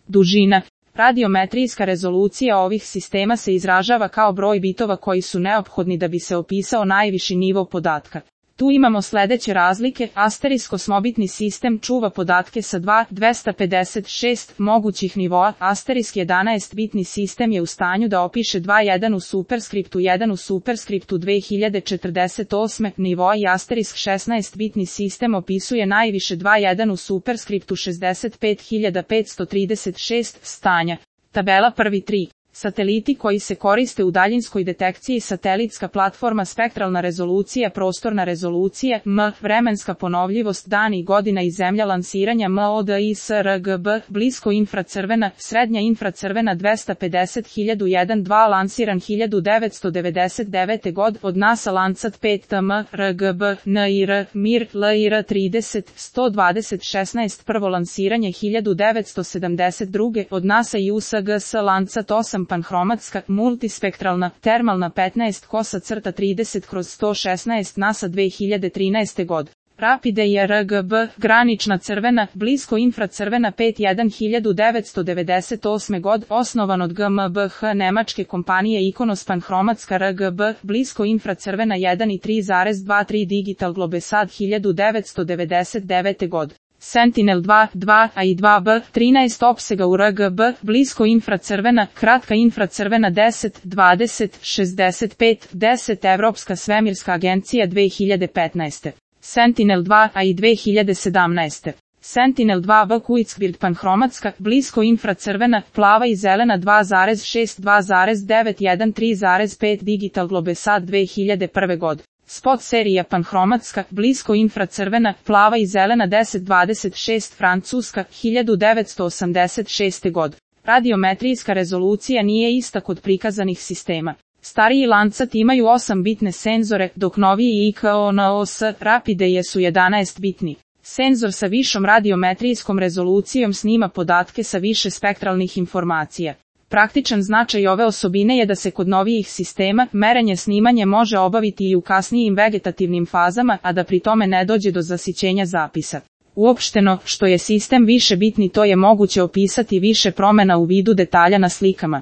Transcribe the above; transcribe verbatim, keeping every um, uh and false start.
Dužina. Radiometrijska rezolucija ovih sistema se izražava kao broj bitova koji su neophodni da bi se opisao najviši nivo podatka. Tu imamo sledeće razlike. Asterisk osmobitni sistem čuva podatke sa dva hiljade dvesta pedeset šest mogućih nivoa. Asterisk jedanaest bitni sistem je u stanju da opiše dva jedan u superskriptu jedan u superskriptu dve hiljade četrdeset osam nivoa i asterisk šesnaest bitni sistem opisuje najviše dva jedan u superskriptu šezdeset pet hiljada petsto trideset šest stanja. Tabela prvi tri. Sateliti koji se koriste u daljinskoj detekciji, satelitska platforma, spektralna rezolucija, prostorna rezolucija, M, vremenska ponovljivost, dan i godina i zemlja lansiranja, M O D I S R G B, blisko infracrvena, srednja infracrvena dvesta pedeset hiljada dva lansiran hiljadu devetsto devedeset devete god od NASA Landsat pet T M, R G B, N I R, Mir, L I R trideset, sto dvadeset šesnaest prvo lansiranje hiljadu devetsto sedamdeset druge od NASA i U S G S Landsat osam panhromatska, multispektralna, termalna petnaest kosa crta trideset kroz sto šesnaest NASA dve hiljade trinaeste god. Rapide i R G B, granična crvena, blisko infracrvena pet jedan hiljadu devetsto devedeset osme god, osnovan od G M B H nemačke kompanije Ikonos panhromatska R G B, blisko infracrvena jedan i tri zarez dvadeset tri Digital Globesat hiljadu devetsto devedeset devete god. Sentinel dva, dva A i dva B, trinaest opsega u R G B, blisko infracrvena, kratka infracrvena deset, dvadeset, šezdeset pet, deset Evropska svemirska agencija dve hiljade petnaeste. Sentinel dva A i dve hiljade sedamnaeste. Sentinel dva B Kuitzbird panhromatska, blisko infracrvena, plava i zelena dva zarez šest, dva zarez devet, jedan, tri zarez pet Digital Globesat dve hiljade prve god. Spot serija panhromatska, blisko infracrvena, plava i zelena deset dvadeset šest francuska, hiljadu devetsto osamdeset šeste god. Radiometrijska rezolucija nije ista kod prikazanih sistema. Stariji Landsat imaju osam bitne senzore, dok noviji I K O N O S Rapide su jedanaest bitni. Senzor sa višom radiometrijskom rezolucijom snima podatke sa više spektralnih informacija. Praktičan značaj ove osobine je da se kod novijih sistema merenje snimanje može obaviti i u kasnijim vegetativnim fazama, a da pri tome ne dođe do zasićenja zapisa. Uopšteno, što je sistem više bitni, to je moguće opisati više promena u vidu detalja na slikama.